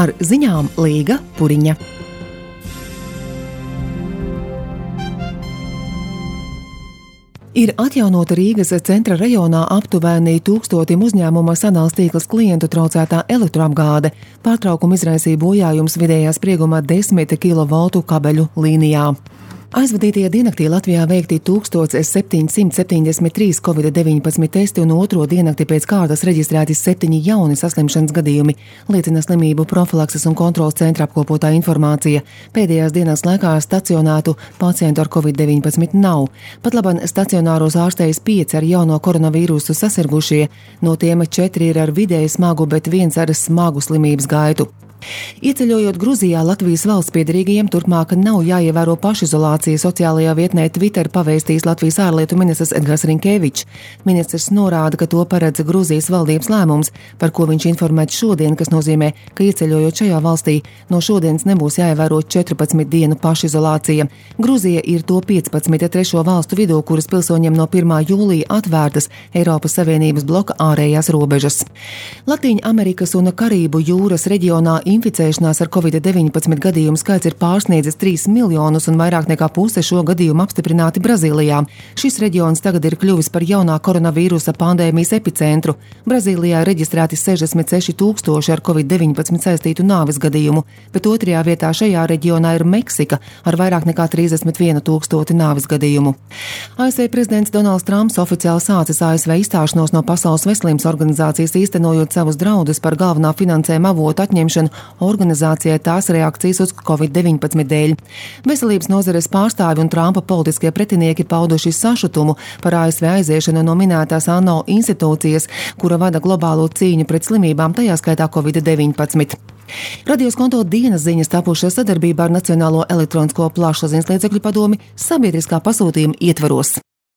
Ar ziņām Līga Puriņa. Ir atjaunota Rīgas centra rajonā aptuveni 1000 uzņēmuma sadales tīkls klientu traucētā elektroapgāde. Pārtraukumu izraisīja bojājums vidējā sprieguma 10 kV kabeļu līnijā. Aizvadītajā diennaktī Latvijā veikti 1773 Covid-19 testi un otro diennakti pēc kārtas reģistrēti 7 jauni saslimšanas gadījumi, liecina slimību profilakses un kontrolas centra apkopotā informācija. Pēdējās dienas laikā stacionētu pacientu ar Covid-19 nav. Pat labam stacionāros ārstējas 5 ar jauno koronavīrusu sasirgušie, no tiem 4 ir ar vidēji smagu, bet 1 ar smagu slimības gaitu. Ieceļojot Gruzijā, Latvijas valsts piederīgajiem turpmāk nav jāievēro pašizolācija. Sociālajā vietnē Twitter pavēstījis Latvijas ārlietu ministrs Edgars Rinkevičs. Ministrs norāda, ka to paredz Gruzijas valdības lēmums, par ko viņš informēts šodien, kas nozīmē, ka ieceļojot šajā valstī, no šodienas nebūs jāievēro 14 dienu pašizolācija. Gruzija ir to 15 trešo valstu vidū, kuras pilsoņiem no 1. jūlija atvērtas Eiropas Savienības bloka ārējās robežas. Latīņa Amerikas un Karību jūras reģionā inficēšanās ar Covid-19 gadījumu skaits ir pārsniedzis 3 miljonus un vairāk nekā puse šo gadījumu apstiprināti Brazīlijā. Šis reģions tagad ir kļuvis par jaunā koronavīrusa pandēmijas epicentru. Brazīlijā reģistrēti 66 000 ar Covid-19 saistītu nāves gadījumu, bet otrajā vietā šajā reģionā ir Meksika ar vairāk nekā 31 000 nāves gadījumu. ASV prezidents Donalds Trumps oficiāli sācis ASV izstāšanos no Pasaules veselības organizācijas, īstenojot savus draudus par galvenā finansējuma avotu atņemšanu organizācijai tās reakcijas uz Covid-19 dēļ. Veselības nozares pārstāvi un Trumpa politiskie pretinieki pauduši sašutumu par ASV aiziešanu no minētās ANO institūcijas, kura vada globālo cīņu pret slimībām, tajā skaitā Covid-19. Radio Skonto dienas ziņas tapušas sadarbībā ar Nacionālo elektronisko plašsaziņas līdzekļu padomi sabiedriskā pasūtījuma ietvaros.